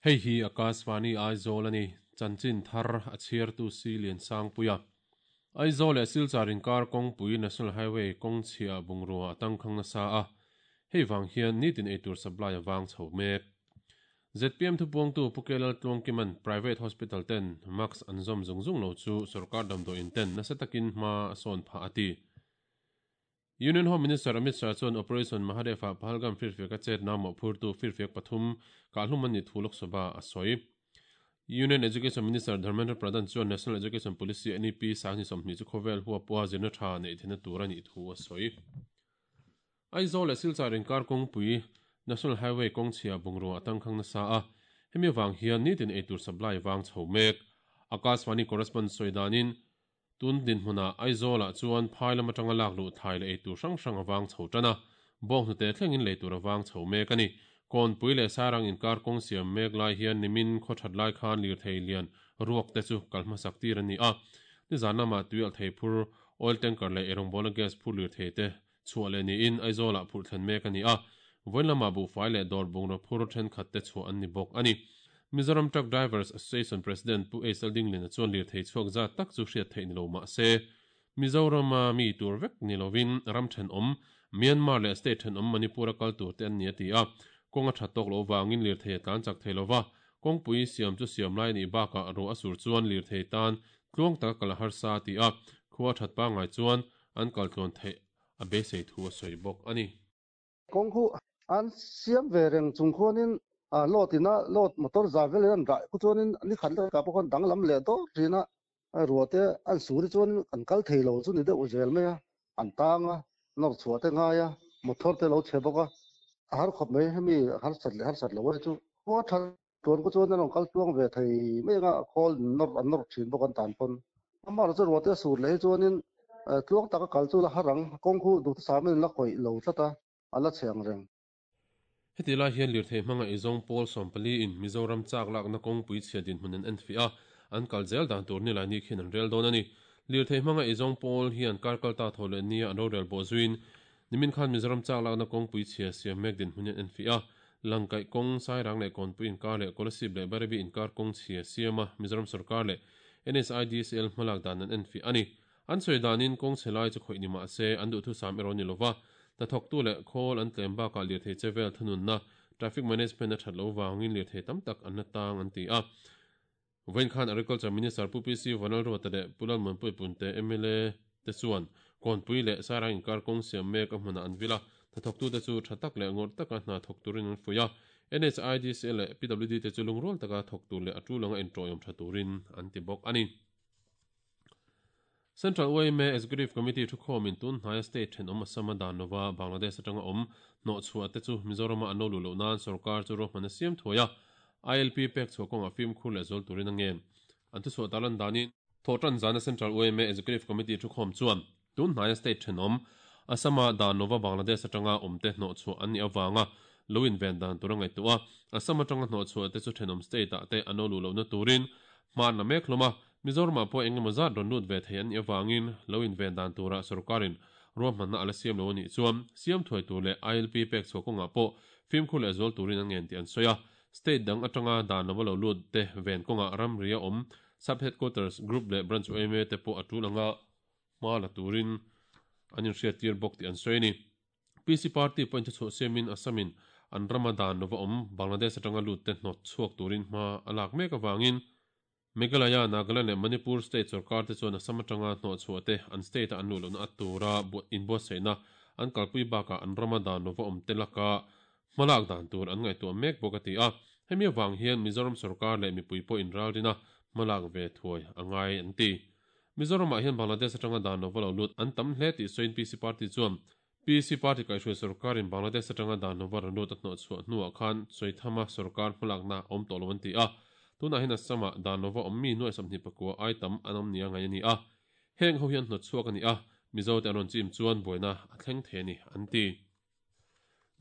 Hei hi Akashvani Aizawl a ni, chanchin thar a chhiartu Si Liansangpuia. Aizawl leh Silchar inkar kawngpui National Highway kawng chhia bungrua a tangkhang nasa a, hei vang hian nitin eitur supply a vang chho mek. Zpm thupuangtu Pu Kelal Tluangkima'n Private Hospital ten mask an zawm zung zung lo chu sorkar damdawiin ten nasa takin hma a sawn phah a ti. Union Home Minister Amit Shah chuan Operation Mahadev-ah Pahalgam firfiaka chetna mawhphurtu firfiak pathum kahhlum an nih thu Lok Sabha a sawi. Union Education Minister Dharmendra Pradhan chuan National Education Policy, NEP, 2020 chu khawvel huapua zirna tha neih theihna tur a nih thu a sawi. Aizawl leh Silchar inkar kawngpui, National Highway kawngchhia bungrua a tangkhang nasa a, hemi avang hian nitin eitur supply vang chho mek. Akashvani correspondent sawi danin, Tun dinhmunah Aizawlah chuan phai lam atanga lak luh thlai leh eitur hrang hrang a vang chho tan a, bawnghnute thlengin lei tur a vang chho mek a ni. Kawnpui leh Sairang inkar kawng siam mek lai hian nimin khaw that lai khan lirthei lian ruak te chu kal hmasak tir a ni a. Nizan lamah tui alh thei phur, oil tanker leh eirawngbawlna gas phur lirthei te chhuah leh niin Aizawlah phurh thlen mek a ni a, vawiin lamah buhfai leh dawr bungraw phur thenkhat te chhuah an ni bawk a ni. Mizoram Truck Drivers Association President Pu Aisal Dinglina chuan lirthei chhuak zat tak chu hriat theih ni lo mah se, Mizorama mi tur vek ni lovin ram thenawm, Myanmar leh state thenawm Manipur-a kal tur te an ni a ti a, kawng a that tawk loh vangin lirthei a tlan chak thei lo va, kawngpui siam chu siam lai a nih bakah ruah a sur chuan lirthei tan tluang taka kal a harsa a ti a, khua that pangngai chuan an kal tluan theih a beisei thu a sawi bawk a ni. Kawng khu an siam ve reng chung khuanin load ina load motor za velin an dah khu chuanin ni khat leh kah pawh khan danglam leh dawr thin a, ruah te an sur hi chuan an kal thei lo chu ni deuh zel mai a, an tang a, nawr chhuah te ngai a, motor te lo chhe bawk a, a har khawp mai hemi harsat leh harsat lo hi chu khua tha Tuan ku chuan an rawn kal tluang ve thei mai anga khawl nawr an nawr thin bawk an tan pawn. Amah chu ruahte a sur leh hi chuanin tluang taka kal chu la har ang, kawng khu duhthusam in la khawih lo tlat a, a la chhe ang reng. Heti lai hian lirthei hmanga eizawng pawl 14 in Mizoram chak lakna kawngpui chhia dinhmun an enfiah a, an kal zel dan tur nilai ni khian an rel dawn a ni. Lirthei hmanga eizawng pawl hian kar kal ta thaw leh nia an rorel bawh zuiin Nimin khan Mizoram chak lakna kawngpui chhia siam mek dinhmun hian enfiah a, Langkaih kawng, Sairang leh Kawnpui inkar leh Kolasib leh Bairabi inkar kawng chhia siam a, Mizoram sorkar leh NSIDCL hmalak dan an enfiah a ni. An sawi danin kawng chhe lai chu khawih ni mah se, an duhthusam erawh ni lova, hnathawktu leh khawl an tlem bakah lirthei che vel thununna, traffic management, a that lo vangin lirthei tam tak an la tang an ti a. Vawiin khan Agriculture Minister Pu PC Vanlalruata leh Pu Lalmuanpuii Punte mla te chuan Kawnpui leh Sairang inkar kawng siam mek a hmunah an vil a, hnathawktute chu tha tak leh ngawrh taka hna thawk turin an fuih a, NHIDCL leh PWD te chu lungrual taka thawk tur leh a tul anga inṭawiawm tha turin an ti bawk a ni. Central yma Executive Committee thukhawmin tun hnaia state thenawm Assam-a dan lova Bangladesh atanga awm hnawhchhuah te chu Mizorama an lo luh loh nan sorkar chu ruahman a siam thuai a, ILP pek chhuah kawngah fimkhur leh zual turin a ngen. An thuchhuah tarlan danin, Thawhtan zana Central yma Executive Committee thukhawm chuan tun hnaia state thenawm Assam-a dan lova Bangladesh atanga awmte hnawhchhuah an nih avanga lo inven dan tur a ngaihtuah a, Assam atanga hnawhchhuah te chu thenawm state-ah te an lo luh lohna turin hma an la mek hlawm a, Mizoramah pawh eng emaw zat rawn lut ve thei an nih avangin lo inven dan turah sorkarin ruahmanna a la siam lo a nih chuan siam thuai tur leh ILP pek chhuah kawngah pawh fimkhur leh zual turin an ngen tih an sawi a. State dang atanga dan lova lo lut te ven kawngah ramria awm Sub Headquarters Group leh Branch yma te pawh a tul anga hma la turin an inhriattir bawk tih an sawi a ni. PC Party pawhin thuchhuah siamin Assam-in an rama dan lova awm Bangladesh atanga lut te hnawt chhuak turin hma a lak mek avangin Meghalaya, Nagaland leh Manipur state sorkar te chuan Assam atanga hnawhchhuah te an state-a an luh lohna a tura inbuatsaihna an kalpui bakah an rama dan lova awm te laka hmalak dan tur an ngaihtuah mek bawk a ti a. Hemi avang hian Mizoram sorkar leh mipui pawh inralrina hmalak ve thuai a ngai an ti. Mizoramah hian Bangladesh atanga dan lova lo lut an tam hle tih sawiin PC Party chuan PC Party kaihhruai sorkarin Bangladesh atanga dan lova rawn lut a hnawhchhuah hnuah khan Sawithama sorkar hmalakna a awm tawh lo an ti a. Tunah hian Assam-ah dan lova awm mi nuai 24 ai tam an awm nia ngaih a ni a. Heng ho hi an hnawtchhuak a ni a, Mizote an rawn chim chuan buaina a thleng thei a ni, an ti.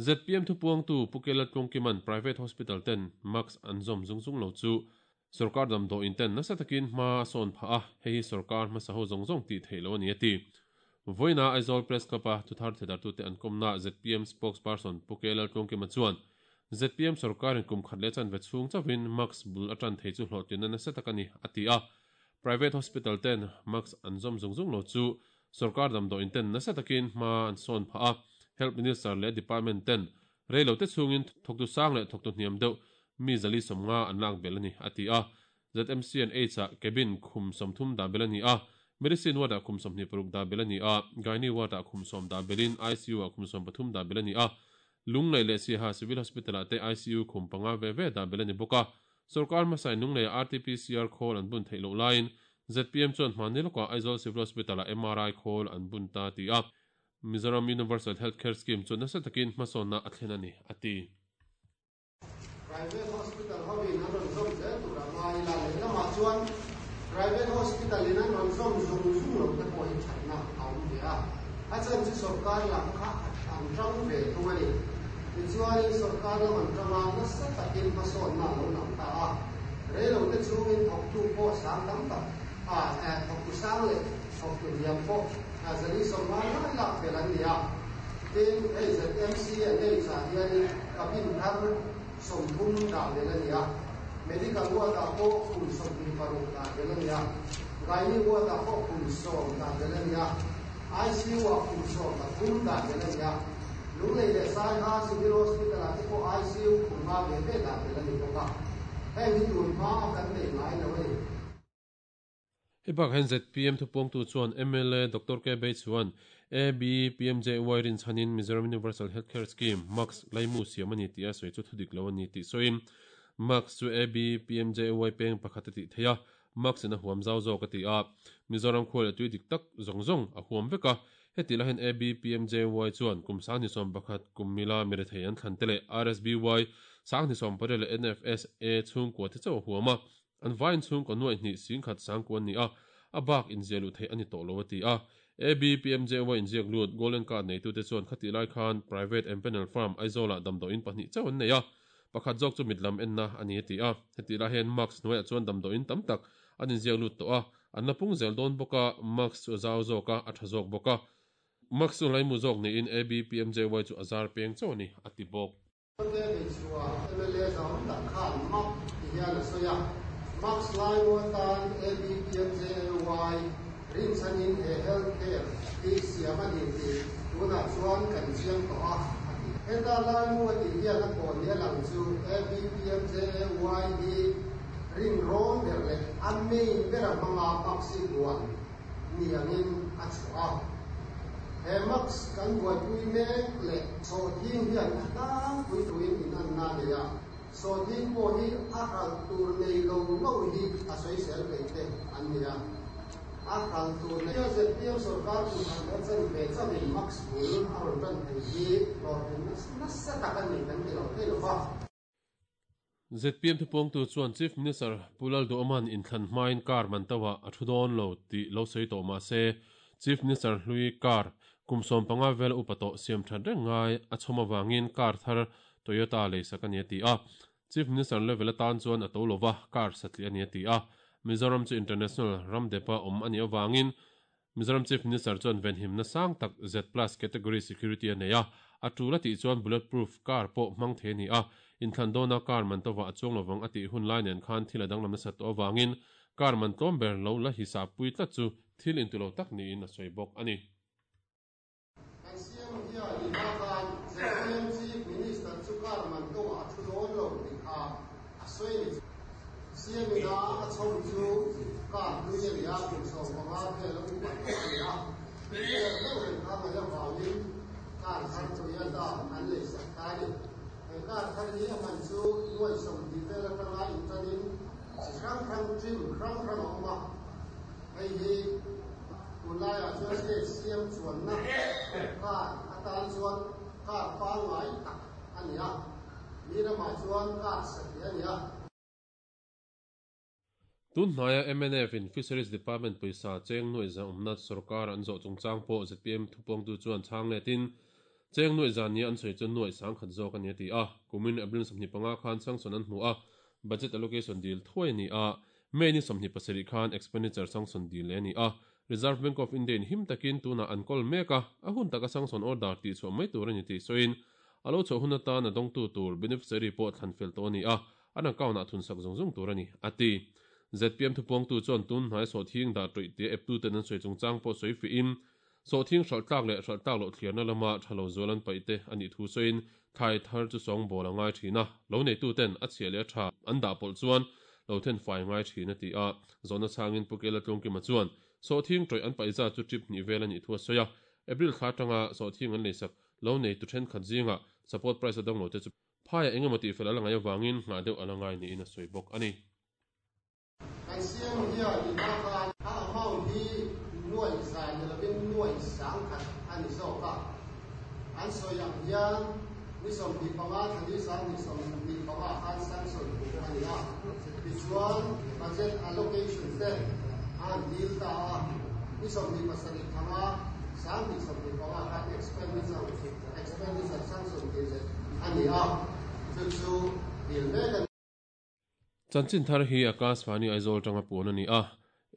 Zpm thupuangtu Pu Kela Tlungkima'n Private Hospital ten mask an zawm zung zung lo chu Sorkar damdawiin ten nasa takin hma a sawn phah a, hei hi sorkar hmasa ho zawng zawng tih theih loh a ni a ti. Vawiina Aizawl Press Club-a thuthar thedartute an kawmna zpm Spokesperson Pu K Laltluangkima chuan, ZPM sorkarin kum khat leh chanve chhung chauhin mask bul a tan thei chu hlawhtlinna nasa tak a ni, a ti a. Private hospital ten mask an zawm zung zung lo chu sorkar damdawiin ten nasa takin hma an sawn phah a, Health Minister leh Department ten rei lo te chhungin thawktu sang leh thawktu hniam deuh mi 450 an lak belh a ni, a ti a. ZMC and H ah cabin khum 30 dah belh a ni a, Medicine ward ah khum 26 dah belh a ni a, Gynae ward ah khum 10 dah belhin ICU ah khum 13 dah belh a ni a, Lunglei leh Siaha Civil Hospital ah te ICU khum panga ve ve dah belh a ni bawk a. Sorkar hmasain Lungleia RTPCR khawl an bun theih loh laiin ZPM chuan hmanni lawkah Aizawl Civil Hospital ah MRI khawl an bun ta ti a, Mizoram Universal Health Care Scheme chu nasa takin hmasawnna a thlen a ni, a ti. Private hospital hovin an rawn zawm zel tur a ngai ila, lehlamah chuan private hospital in an rawn zawm zung zung lo te pawh hi thatna a awm ve a, a chhan chu sorkar lam kha an tang ve thung a ni. Tichuanin sorkar lam an tang a, nasa takin hmasawnna a lo lang ta a, reilote chhungin thawktu pawh sang tam tak a, thawktu sang leh thawktu hniam pawh 450 lai lak fel an ni a. Tin, hei ZMC an ei chah hianin cabin thar 30 dah belh a ni a, medical ward-ah pawh khum 26 dah belh a ni a, gynae ward-ah pawh khum 10 dah belh a ni a, ICU-ah khum 13 dah belh a ni a, Lunglei leh Saiha Civil Hospital-ah te pawh ICU khum nga ve ve dah belh a ni bawk a, heng hi tun hma a kan nei ngai lo a ni. Hei bakah hian ZPM thupuangtu chuan mla Doctor K Bei chuan ABPMJY rinchhanin Mizoram Universal Health Care Scheme, MAHCS, laimu siam a ni tih a sawi chu thudik lo a ni tih sawiin MAHCS chu ABPMJY peng pakhat a tih theih a, MAHCS in a huam zau zawk a ti a, Mizoram khua leh tui dik tak zawng zawng a huam vek a, heti lahin ABPMJY chuan kum 21 kum mila mirethei an thlan te leh RSBY 28 leh NFSA chhungkua te chauh a huam a, An vaiin chhungkaw nuaih hnih singkhat sangku an ni a, a bak inziah luh theih a ni tawh lo a ti a. ABPMJY inziak lut Golden Card neitute chuan khatih lai khan Private Empanel Firm Aizawlah damdawiin pahnih chauh an nei a, pakhat zawk chu mitlam enna a ni a ti a. Hetih lai hian Mask hnuaiah chuan damdawiin tam tak an inziak lut tawh a, an la pung zel dawn bawk a, Mask chu a zau zawk a, a tha zawk bawk a. Mask chu laimu zawk niin ABPMJY chu a zar peng chauh a ni a ti bawk. Ke Beichhua mla zahawm tak khan mak ti hian a sawi a, Max Laimu atan ABPMJAY rinchhanin he health care hi siam a ni tih tunah chuan kan chiang tawh a, a ti. Heta Laimu a tih hian a kaw ni a lang chu ABPMJAY hi rin rawn ber leh a main bera hmanga Max hi duan ni angin a chhuah a. He mask kan buaipui mek leh sawhthing hian a tlangpui tuin inanna a nei a, sawhthing pawh hi a hralh tur nei lo lo hi a sawisel peih te an ni a. A hralh tur nei a ZPM sorkar kum khat leh chanve chauhin mask bul a rawn tan thei hi hlawhtling nasa tak a ni kan ti lo thei lo va. ZPM thupuangtu chuan Chief Minister Pu Lalduhawma'n inthlan hmain car man tauhah a thu dawn lo tih lo sawi tawh mah se, Chief Minister hlui car kum 15 vela upa tawh siam that reng ngai a chhawm avangin car thar Toyota leisak a ni a ti a. Chief Minister level atan chuan a to lova car satliah a ni a ti a. Mizoram chu international ram depa awm a nih avangin Mizoram Chief Minister chuan venhimna sang tak Z-plus category security a nei a, a tul a tih chuan bullet proof car pawh hmang thei a ni a, inthlan dawna car man tovah a chuang lovang a tih hun lai nen khan thil a danglam nasat tawh avangin car man tlawm ber lo la hisap pui tlat chu thil intu lo tak niin a sawi bawk a ni. Kan CM hian i hma khan ZPM Chief Minister chu car man tovah a thu dawn lo tih kha a sawi a ni. CM ina a chhawm chu car hlui a ni a, kum 15 vel a upat tawh a ni a. Vel deuh reng kha ngaih avangin car thar Toyota an leisak ta a ni. He car thar hi a man chu nuai 20 vel atanga intanin chi hrang hrang trim hrang hrang a awm a. Hei hi tunlaiah chuan state CM chuanna car atan chuan car pangngai tak a ni a. Mi ramah chuan car satliah a ni a. Tun hnaia mnf in Fisheries Department pawisa cheng nuaih za awmna sorkar an zawh chungchang pawh ZPM thupuangtu chuan chhang letin cheng nuaih za nia an sawi chu nuaih 10,000 zawk a ni a ti a. Kumin April 25 khan sanction an hmu a, budget allocation dil thuai a ni a. May ni 27 khan expenditure sanction dil leh a ni a. Reserve Bank of India in him takin tunah an kawl mek a, a hun taka sanction order tihchhuah mai tur a ni tih sawiin. A lo chhoh hun atan a dawngtu tur beneficiary pawh thlan fel tawh a ni a, an account ah thunsak zung zung tur a ni, a ti. Zpm thupuangtu chuan tun hnai sawhthing dah tawih tia eptuten an sawi chungchang pawh sawi fihin, sawhthing hralh tlak leh hralh tlak loh thliarna lama tha lo zual an paih te a nih thu sawiin thlai thar chu sawngbawl a ngai thin a, lo neituten a chhia leh a tha an dah pawlh chuan lo then fai ngai thin a ti a. Zawhna chhangin Pu Kela Tlungkima chuan sawhthing tawih an paih zat chu trip hnih vel a nih thu a sawi a, April thla atanga sawhthing an leisak lo neitu thenkhat zingah support price a dawng lo te chu Phaiah engemaw tihfel a la ngaih avangin nghah deuh a la ngai niin a sawi bawk a ni. Kan siam hian i hma khan a amount hi nuaih za ni lovin nuaih sangkhat a ni zawk a. An sawi ang hian ni 25 thla ni 25 ah khan sanction hmuh a ni a. Tichuan budget allocation te a han dil ta a, ni 27 thanga 2025 khan expenditure expenditure sanction dil leh a ni a, chu chu dil mek a ni. Chanchin thar hi Akashvani Aizawl atanga puan a ni a,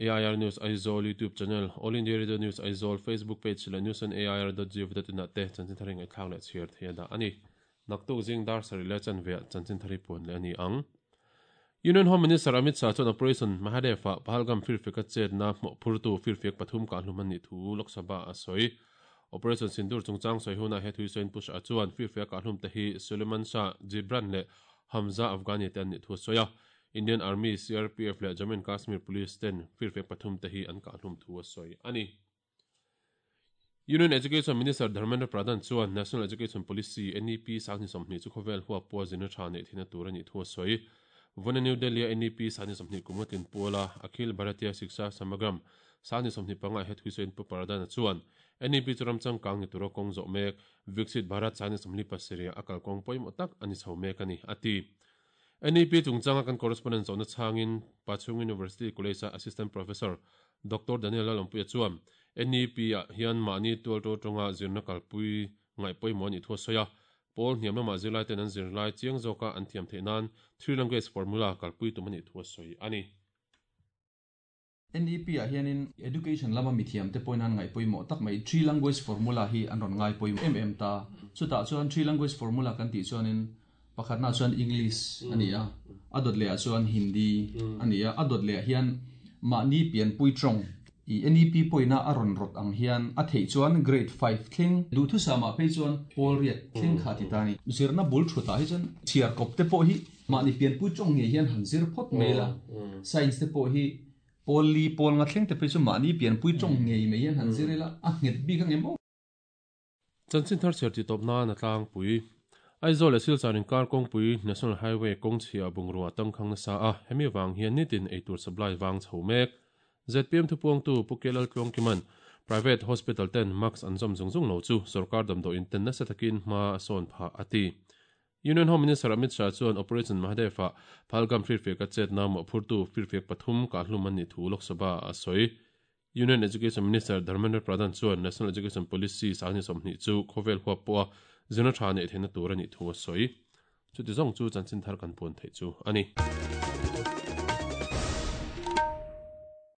AIR News Aizawl YouTube channel, All India Radio News Aizawl Facebook page leh newsonair.gov.in ah te chanchin thar hi ngaihthlak leh chhiar thei a dah a ni. Naktuk zing dar sarih leh chanveah chanchin thar hi puan leh a ni ang. Union Home Minister Amit Shah chuan Operation Mahadev-ah Pahalgam firfiaka chetna hmawhphurtu firfiak pathum kahhlum an nih thu Lok Sabha a sawi. Operation Sindoor chungchang sawi hunah he thuisawiin Pu Shah chuan firfiak kahhlum te hi Suleman Shah, Jibran leh Hamza Afghani te an nih thu a sawi a. Indian Army, CRPF leh Jammu and Kashmir Police ten firfiak pathum te hi an kahhlum thu a sawi a ni. Union Education Minister Dharmendra Pradhan chuan National Education Policy, NEP, 2020 chu khawvel huap pawha zirna tha neih theihna tur a nih thu a sawi. Vawiina New Delhi-a NEP 2020 kum a tlin puala Akhil Bharatiya Shiksha Samagram 2025 ah he thuisawiin Pu Pradhan-a chuan NEP chu ram changkang ni tura kawng zawh mek Viksit Bharat 2027 a kalkawng pawimawh tak a ni chho mek a ni, a ti. NEP chungchanga kan correspondent zawhna chhangin Pachhung University College-a Assistant Professor Doctor Daniel Lalawmpuia chuan NEP-ah hian mahni tualto tawnga zirna kalpui ngaih pawimawh a nih thu a sawi a. Pawl hniam lamah zirlaiten an zirlai chiang zawka an thiam theih nan Three Language Formula kalpui tum a nih thu a sawi a ni. NEP ah hianin Education lama mithiam te pawhin an ngaih pawimawh tak mai Three Language Formula hi an rawn ngai pawimawh em em ta. Chutah chuan Three Language Formula kan tih chuanin pakhatnaah chuan English a ni a, a dawt lehah chuan Hindi a ni a, a dawt lehah hian mahni pianpui tawng i NEP pawina a rawn rawt ang hian a theih chuan Grade 5 thleng duhthusam ah phei chuan pawl riat thleng kha ti ta a ni. Zirna bul thutah hi chuan chhiar kawp te pawh hi Mahni pianpui tawng ngei hian han zir phawt mai la, science te pawh hi pawl li pawl nga thleng te phei chu mahni pianpui tawng ngei mai hian han zir ila a nghet bik ang em aw. Chanchin thar chhiar tih tawp nan a tlangpui. Aizawl leh Silchar inkar kawngpui National Highway kawngchhia bungrua tangkhang nasa a, hemi vang hian nitin eitur supply vang chho mek. Zpm thupuangtu Pu Kelal Tluangkiman Private Hospital ten mask an zawm zung zung lo chu sorkar damdawiin ten nasa takin hma a sawn phah a ti. Union Home Minister Amit Shah chuan Operation Mahadev-ah Phalgam firfiaka chetna mawhphurtu firfiak pathum kahhlum an nih thu Lok Sabha ah a sawi. Union Education Minister Dharmendra Pradhan chuan National Education Policy 2020 chu khawvel huap pawha zirna tha neih theihna tur a nih thu a sawi. Chuti zawng chu chanchin thar kan puan theih chu a ni.